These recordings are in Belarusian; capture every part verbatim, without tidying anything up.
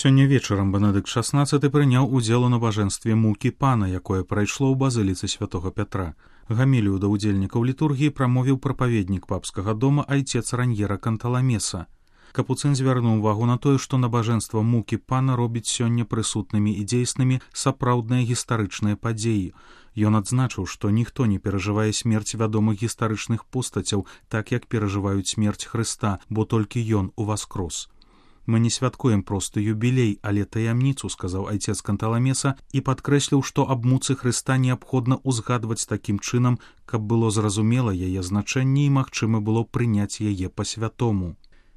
Сёння вечарам Бенедыкт шаснаццаты прыняў удзел у набажэнстве мукі пана, якое прайшло ў базыліцы святого Пятра. Гамілію да ўдзельнікаў літургіі прамовіў прапаведнік папскага дома айцец Раньера Канталамеса. Капуцын звярнуў увагу на тое, што набажэнства мукі пана робіць сёння прысутнымі і дзейснымі сапраўдныя гістарычныя падзеі. Ён адзначыў, што ніхто не перажывае смерць вядомых гістарычных постацяў так, як перажываюць смерць Хрыста, бо толькі ён уваскрос. «Мы не святкуем проста юбілей, але таямніцу», — сказаў айцец Канталамеса і падкрэсліў, што аб муцы Хрыста неабходна ўзгадваць такім чынам, каб было зразумела яе значэнне і магчыма было прыняць яе па-святому.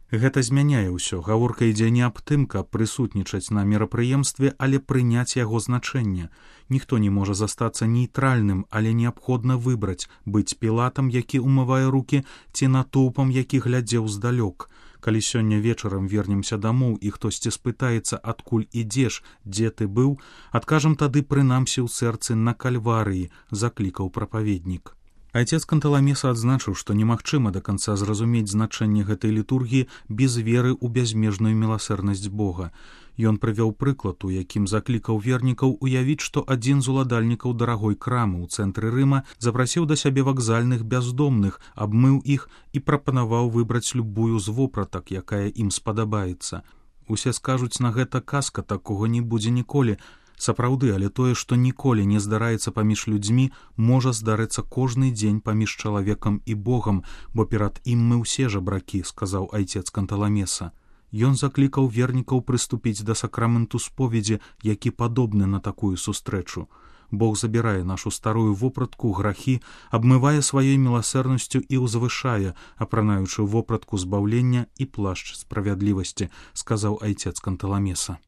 Гэта змяняе ўсё. Гаворка ідзе не аб тым, каб прысутнічаць на мерапрыемстве, але прыняць яго значэнне. Ніхто не можа застацца нейтральным, але неабходна выбраць, быць пілатам, які умывае рукі, ці натоўпам, які глядзеў здалёк. Калі сёння вечарам вернемся дамоў і хтосьці спытаецца, адкуль ідзеш, дзе ты быў, адкажам тады прынамсі ў сэрцы на кальварыі, заклікаў прапаведнік. Айцец Канталамеса адзначыў, што немагчыма да канца зразумець значэнне гэтай літургіі без веры ў бязмежную міласэрнасць Бога. Ён прывёў прыклад, у якім заклікаў вернікаў уявіць, што адзін з уладальнікаў дарагой крамы ў цэнтры Рыма запрасіў да сябе вакзальных бяздомных, абмыў іх і прапанаваў выбраць любую з вопратак, якая ім спадабаецца. Усе скажуць, на гэта казка, такога не будзе ніколі. Сапраўды, але тое, што ніколі не здараецца паміж людзьмі, можа здарыцца кожны дзень паміж чалавекам і Богам, бо перад ім мы ўсе жабракі, сказаў айцец Канталамеса. Ён заклікаў вернікаў прыступіць да сакраменту споведзі, які падобны на такую сустрэчу. Бог забірае нашу старую вопратку, грахі, абмывае сваёй міласэрнасцю і ўзвышае, апранаючы вопратку збаўлення і плашч справядлівасці, сказаў айцец Канталамеса.